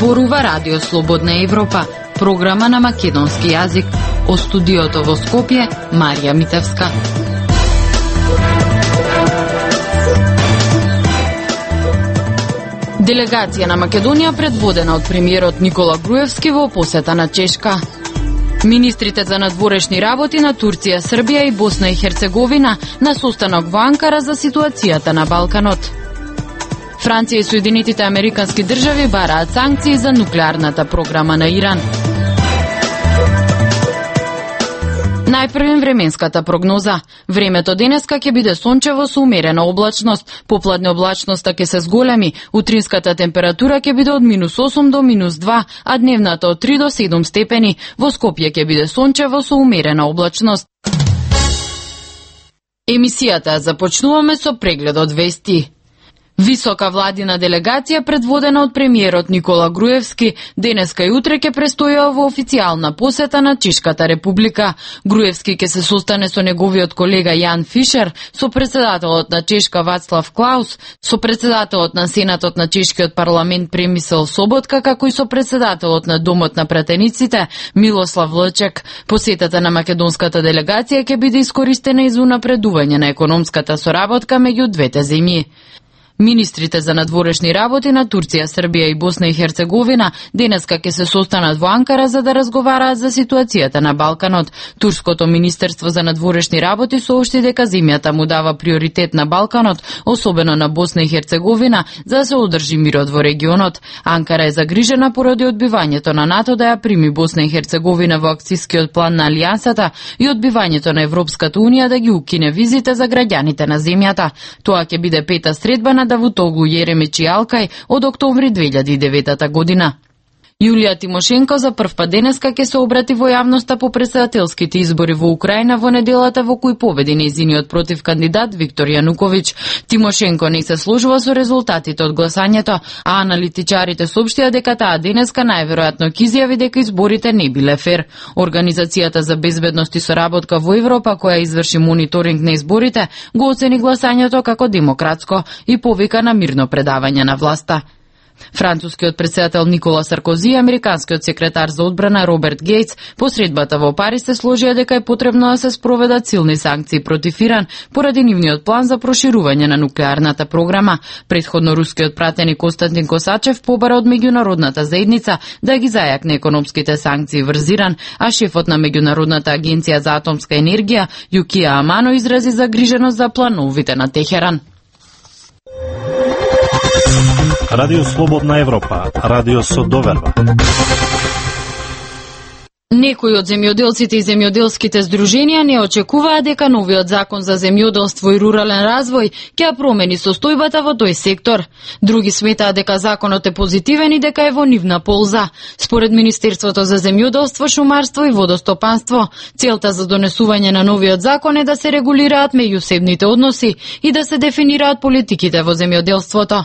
Зборува Радио Слободна Европа, програма на македонски јазик. О студиото во Скопје, Марија Митевска. Делегација на Македонија предводена од премиерот Никола Груевски во посета на Чешка. Министрите за надворешни работи на Турција, Србија и Босна и Херцеговина на состанок во Анкара за ситуацијата на Балканот. Франција и Соединетите Американски држави бараат санкции за нуклеарната програма на Иран. Најпрвен временската прогноза. Времето денеска ќе биде сончево со умерена облачност, попладне облачноста ќе се зголеми, утринската температура ќе биде од -8 до -2, а дневната од 3 до 7 степени. Во Скопје ќе биде сончево со умерена облачност. Емисијата започнуваме со прегледот вести. Висока владина делегација предводена од премиерот Никола Груевски денеска и утре ќе престојува во официјална посета на Чешката република. Груевски ќе се состане со неговиот колега Јан Фишер, со председателот на Чешка Вацлав Клаус, со председателот на Сенатот на Чешкиот парламент Премисел Соботка, како и со председателот на Домот на пратениците Милослав Лчек. Посетата на македонската делегација ќе биде искористена и за унапредување на економската соработка меѓу двете земји. Министрите за надворешни работи на Турција, Србија и Босна и Херцеговина денеска ќе се состанат во Анкара за да разговараат за ситуацијата на Балканот. Турското министерство за надворешни работи соопшти дека земјата му дава приоритет на Балканот, особено на Босна и Херцеговина, за да се одржи мирот во регионот. Анкара е загрижена поради одбивањето на НАТО да ја прими Босна и Херцеговина во акцискиот план на Алијансата и одбивањето на Европската унија да ги укине визите за граѓаните на земјата. Тоа ќе биде пета средба на Давутоглу, Јеремич и Алкај од октомври 2009 година. Јулија Тимошенко за прв пат денеска ќе се обрати во јавноста по претседателските избори во Украина во неделата во кој победи нејзиниот против кандидат Виктор Јануковиќ. Тимошенко не се сложува со резултатите од гласањето, а аналитичарите соопштија дека таа денеска најверојатно ќе изјави дека изборите не биле фер. Организацијата за безбедност и соработка во Европа, која изврши мониторинг на изборите, го оцени гласањето како демократско и повика на мирно предавање на власта. Францускиот претседател Никола Саркози и американскиот секретар за одбрана Роберт Гејтс по средбата во Париз се сложија дека е потребно да се спроведат силни санкции против Иран поради нивниот план за проширување на нуклеарната програма. Претходно рускиот пратеник Константин Косачев побара од меѓународната заедница да ги зајакне економските санкции врз Иран, а шефот на меѓународната агенција за атомска енергија Јукија Амано изрази загриженост за плановите на Техеран. Радио Слободна Европа, радио со доверба. Некои од земјоделците и земјоделските здруженија не очекуваа дека новиот закон за земјоделство и рурален развој ќе ја промени состојбата во тој сектор. Други сметаат дека законот е позитивен и дека е во нивна полза. Според Министерството за земјоделство, шумарство и водостопанство, целта за донесување на новиот закон е да се регулираат меѓусебните односи и да се дефинираат политиките во земјоделството.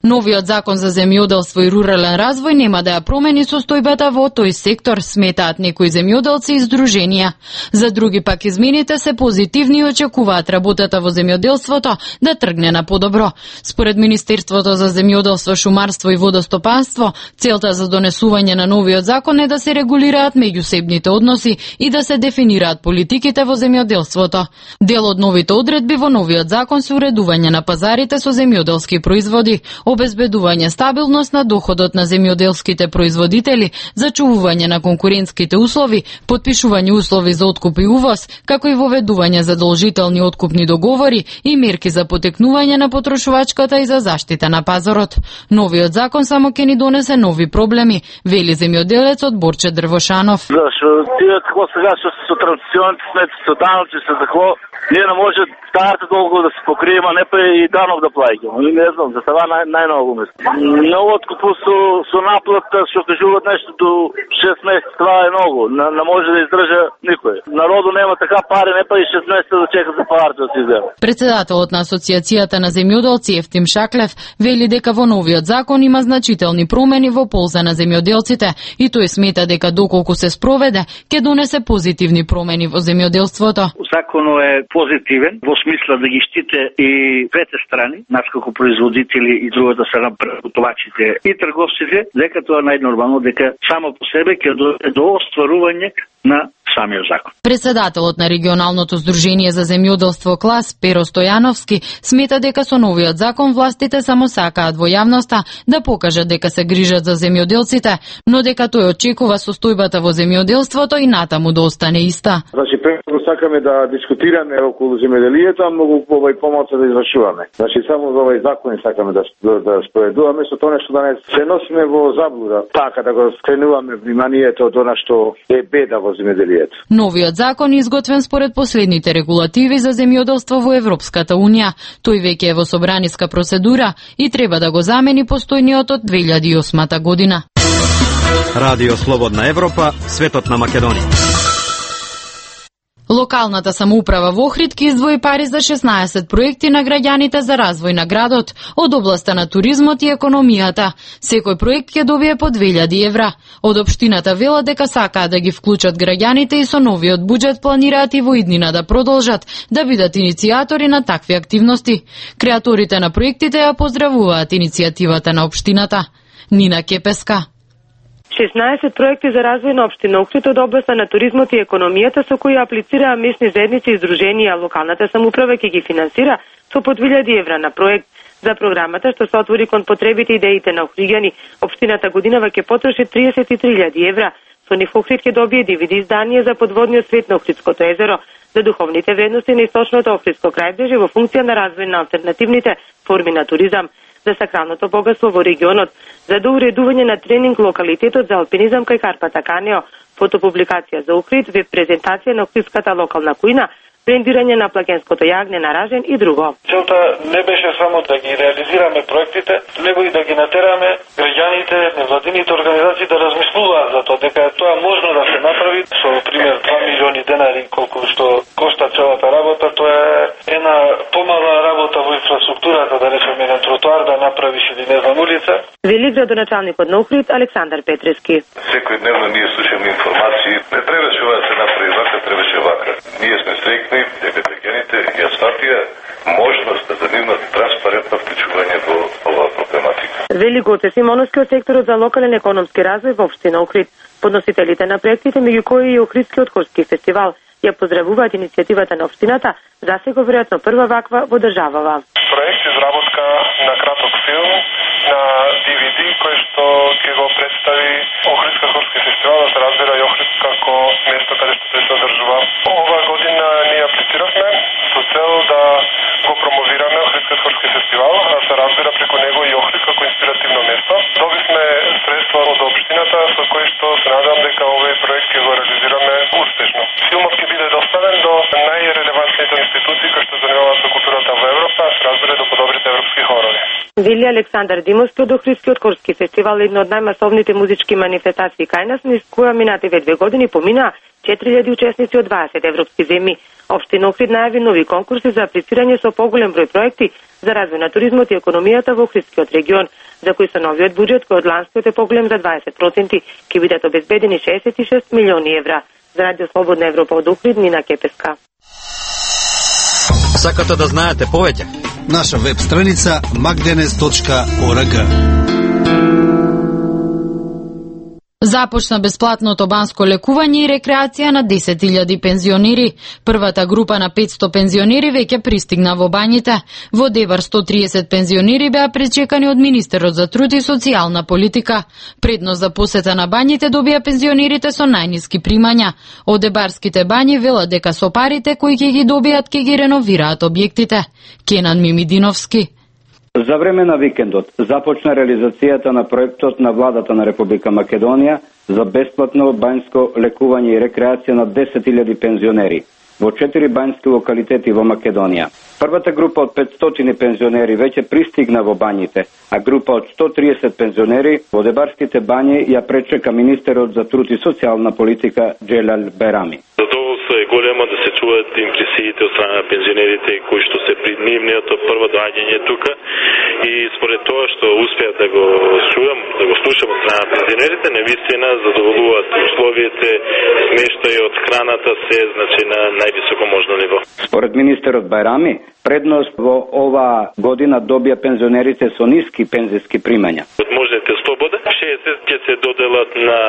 Новиот закон за земјоделство и рурален развој нема да ја промени состојбата во тој сектор, сметаат некои земјоделци и здруженија. За други пак измените се позитивни и очекуваат работата во земјоделството да тргне на подобро. Според Министерството за земјоделство, шумарство и водостопанство, целта за донесување на новиот закон е да се регулираат меѓусебните односи и да се дефинираат политиките во земјоделството. Дел од новите одредби во новиот закон се уредување на пазарите со земјоделски производи, обезбедување стабилност на доходот на земјоделските производители, зачувување на конкурентските услови, подпишување услови за откуп и увоз, како и воведување задолжителни откупни договори и мерки за потекнување на потрошувачката и за заштита на пазарот. Новиот закон само ќе ни донесе нови проблеми, вели земјоделецот Борче Дрвошанов. Зашо тие како сега со традиционните сметки, со даноци, со тако, ние не може старата толку да се покриема, не па и данок да плаќаме. Не знам, за това најмногу мислам. Многу откупу со наплата, што кажуваат нешто до 6 месеци, това е многу. Не може да издржа никој. Народу нема така пари, не па и 6 месеци да чека за парите да се иззема. Председателот на Асоциацијата на земјоделци Ефтим Шаклев вели дека во новиот закон има значителни промени во полза на земјоделците и тој смета дека доколку се спроведе, ќе донесе позитивни промени во земјоделството. Законот е позитивен во смисла да ги штите и двете страни, нас како производители и другата страна преработувачите и трговците, дека тоа најнормално, дека само по себе ќе дојде до остварување на самиот закон. Председателот на регионалното здружение за земјоделство КЛАС Перо Стојановски смета дека со новиот закон властите само сакаат во јавноста да покажат дека се грижат за земјоделците, но дека тој очекува состојбата во земјоделството и натаму да остане иста. Значи, прво сакаме да дискутираме околу земјоделието, а многу помалку да извршуваме. Значи, само за овој закон сакаме да спроведуваме, со тоа нешто да не се носиме во заблуда, така да го скренуваме вниманието од она што е беда во земјоделието. Новиот закон е изготвен според последните регулативи за земјоделство во Европската унија. Тој веќе е во собраниска процедура и треба да го замени постојниот од 2008 година. Радио Слободна Европа, светот на Македонија. Локалната самоуправа во Охрид ќе издвои пари за 16 проекти на граѓаните за развој на градот од областа на туризмот и економијата. Секој проект ќе добие по 2000 евра. Од општината велат дека сакаат да ги вклучат граѓаните и со новиот буџет планираат и во иднина да продолжат да бидат иницијатори на такви активности. Креаторите на проектите ја поздравуваат иницијативата на општината. Нина Кепеска. 16 проекти за развој на општина Охрид од областа на туризмот и економијата со кои аплицираа местни заедници и здруженија, локалната самоуправа ќе ги финансира со по 2000 евра на проект. За програмата што се отвори кон потребите и идеите на охриѓани, општината годинава ќе потроши 33.000 евра. Со нив Охрид ќе добие DVD издание за подводниот свет на Охридското езеро, за духовните вредности на источното Охридско крајбрежје во функција на развој на алтернативните форми на туризам, за сакралното богатство во регионот, за доуредување на тренинг локалитетот за алпинизам кај Карпата Канео, фотопубликација за Охрид, веб презентација на охридската локална кујна, брендирање на плагенското јагне на ражен и друго. Целта не беше само да ги реализираме проектите, него и да ги натераме граѓаните, невладините организации да размислуваат за тоа, дека тоа можно да се направи со пример 2 милиони денари колку што кошта целата работа. Тоа е една помала работа во инфраструктурата, да речеме еден тротоар да направиш или не знам улица. Вели градоначалникот на Охрид Александар Петрески. Секојдневно ние слушаме информации, не требаше ова да се направи вака, требаше вака. Ние сме среќни дека граѓаните ја сватија можност да имат транспарентно вклучување во оваа проблематика. Вели Гоце Симоновски од секторот за локален економски развој во општина Охрид. Подносителите на проектите, меѓу кои и Охридскиот хорски фестивал, ја поздравуваат иницијативата на општината, засега веројатно прва ваква во државава. Проект изработка на краток филм на DVD кој што ќе го представи Охридска хорски фестивал, да се разбира и Охрид како место каде што се одржува. Ова година ние аплициравме со цел да го промовираме Охридскиот хорски фестивал, да се разбира преку него и Охрид како инспиративно место. Добивме средства од општината со кои што се надевам дека овој проект ќе го реализираме успешно. Филмот ќе биде доставен до најрелевантните институции кои што занимаваат со културата во Европа, се разбира до подобрите европски хорови. Вели Александар Димовски од Охридскиот хорски фестивал, една од најмасовните музички манифестации кај нас, низ која минативе 2 години поминаа 4000 учесници од 20 европски земји. Општина Охрид најави нови конкурси за аплицирање со поголем број проекти за развој на туризмот и економијата во Охридскиот регион, за кои со новиот буџет кој од ланскиот е поголем за 20%, ќе бидат обезбедени 66 милиони евра. За Радио Слободна Европа од Охрид, Нина Кепеска. Сакате да знаете повеќе? Наша веб страница magdenes.org. Започна бесплатното банско лекување и рекреација на 10.000 пензионери. Првата група на 500 пензионери веќе пристигна во бањите. Во Дебар 130 пензионери беа пречекани од министерот за труд и социјална политика. Предност за посета на бањите добија пензионерите со најниски примања. Од дебарските бањи велат дека со парите кои ќе ги добијат ќе ги реновираат објектите. Кенан Мимидиновски. За време на викендот започна реализацијата на проектот на владата на Република Македонија за бесплатно бањско лекување и рекреација на 10.000 пензионери во 4 бањски локалитети во Македонија. Првата група од 500 пензионери веќе пристигна во бањите, а група од 130 пензионери во дебарските бањи ја пречека министерот за труд и социјална политика Джелал Берами. Задоволство е големо, да се чуваат импресиите од страна на пензионерите кои што се при нивниот прво доаѓање тука, и според тоа што успеа да го слушам од страна на пензионерите, навистина задоволуваат условиите, смештајот, храната, се значи на највисоко можно ниво. Според министерот Бајрами, предност во ова година добија пензионерите со ниски пензиски примања. Од можните слобода, 60 ќе се доделат на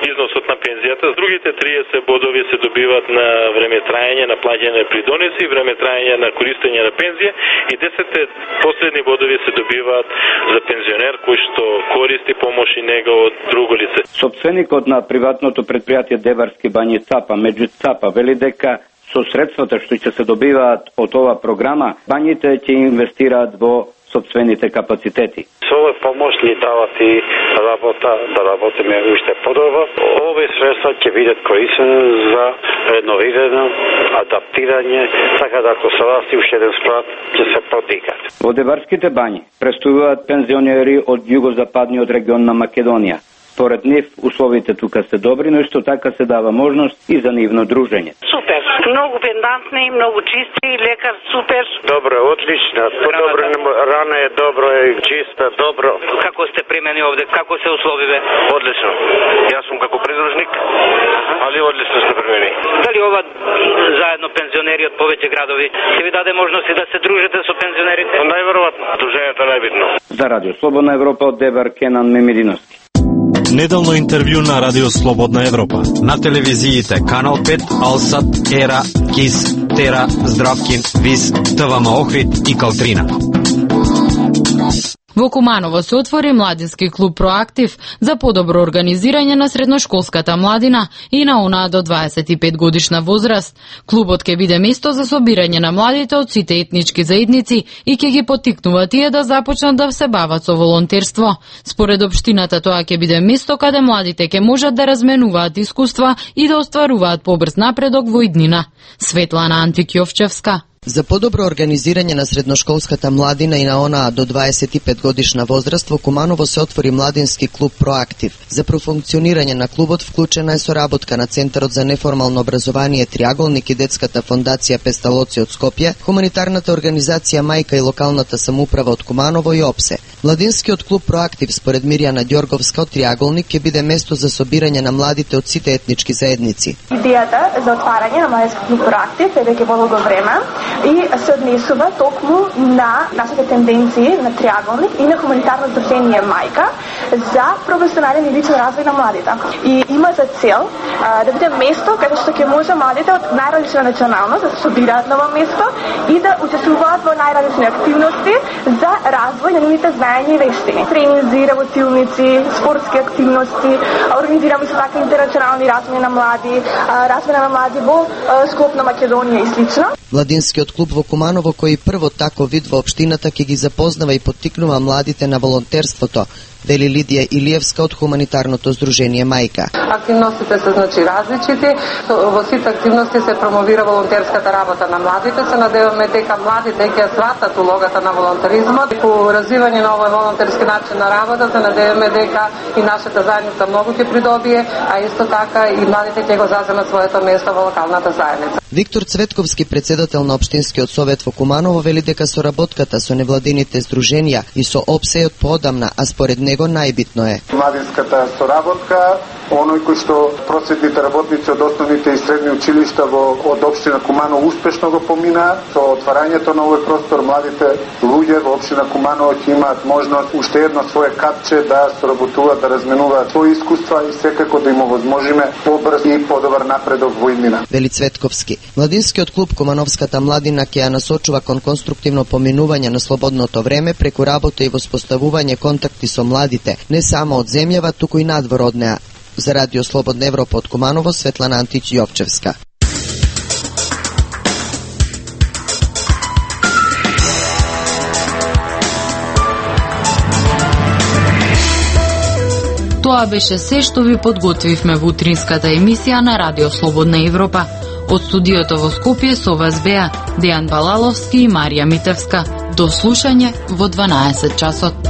износот на пензијата, другите 30 бодови се добиваат на време трајање на плаќање придонеси, време трајање на користење на пензија, и 10 последни бодови се добиваат за пензионер кој што користи помош и нега од друго лице. Сопственикот на приватното предпријатие Деварски бањи ЦАПА, меѓу ЦАПА, вели дека со средствата што ќе се добиваат од оваа програма, бањите ќе инвестираат во сопствените капацитети. Со овој помош ни дават и работа, да работиме уште подобро. Овие средства ќе бидат корисени за реновирање, адаптирање, така да ако се расти уште еден спрат, ќе се подигат. Во Деварските бањи престојуваат пензионери од југозападниот регион на Македонија. Според нив, условите тука се добри, но исто така се дава можност и за нивно дружење. Супер, многу пендантни, многу чисти, лекар супер. Добро, одлично. Добро, рана е добро, е чиста, добро. Како сте примени овде? Како се условиве? Одлично. Јас сум како придружник, али одлично сте примени. Дали ова заедно пензионери од повеќе градови ќе ви даде можности да се дружите со пензионерите? Најверојатно, дружењето е најбитно. За Радио Слободна Европа од Девар, Кенан Мемидиновски. Неделно интервју на Радио Слободна Европа. На телевизиите Канал 5, Алсат, Ера, Кис, Тера, Здравкин, Вис, ТВМ Охрид и Калтрина. Во Куманово се отвори младински клуб Проактив за подобро организирање на средношколската младина и на онаа до 25 годишна возраст. Клубот ќе биде место за собирање на младите од сите етнички заедници и ќе ги поттикнува тие да започнат да се бават со волонтерство. Според општината тоа ќе биде место каде младите ќе можат да разменуваат искуства и да остваруваат побрз напредок во иднина. Светлана Антик-Јовчевска. За подобро организирање на средношколската младина и на онаа до 25 годишна возраст во Куманово се отвори младински клуб Проактив. За профункционирање на клубот вклучена е соработка на Центарот за неформално образование Триаголник и Детската фондација Песталоци од Скопје, хуманитарната организација Мајка и локалната самоуправа од Куманово и ОПСЕ. Младинскиот клуб Проактив според Мирјана Ѓорговска од Триаголник ќе биде место за собирање на младите од сите етнички заедници. Идејата за отварање на младински клуб Проактив е веќе долго време и се однесува токму на нашите тенденции на Триаголник и на хуманитарно здружение Мајка за професионален и личен развој на младите. И има за цел да биде место каде што ќе може младите од најразлична националност да се собираат на ова место и да учествуваат во најразлични активности за развој на нивните знаења и вештини. Тренинзи, работилници, спортски активности, организираме се така интернационални размени на млади, размена на млади во склоп на Македонија и слично. Младинскиот клуб во Куманово, кој прво тако вид во општината ќе ги запознава и поттикнува младите на волонтерството, вели Лидија Илиевска од хуманитарното здружение Мајка. Активностите се различити, во сите активности се промовира волонтерската работа на младите. Се надеваме дека младите ќе сватат улогата на волонтеризмот. По развивање на овој волонтерски начин на работа се надеваме дека и нашата заедница многу ќе придобие, а исто така и младите ќе го заземат своето место во локалната заедница. Виктор Цветковски, председател на Општинскиот совет во Куманово, вели дека соработката со невладините здруженија и со ОПСЕ од поодамна, а според него најбитно е младинската соработка, оној кој што просветните работници од основните и средни училишта од општина Куманово успешно го поминаа. Со отварањето на овој простор младите луѓе во општина Куманово ќе имаат можност уште едно свое капче да соработуваат, да разменуваат своји искуства и секако да им овозможиме побрз и подобар напредок во иднина. Вели Цветковски. Младинскиот клуб Кумановската младина ќе ја насочува кон конструктивно поминување на слободното време преку работа и воспоставување контакти со младите, не само од земјава, туку и надвор од неа. За Радио Слободна Европа од Куманово, Светлана Антич-Јовчевска. Тоа беше се што ви подготвивме во утринската емисија на Радио Слободна Европа. Од студиото во Скопје со вас беа Дејан Балаловски и Марија Митевска. До слушање во 12 часот.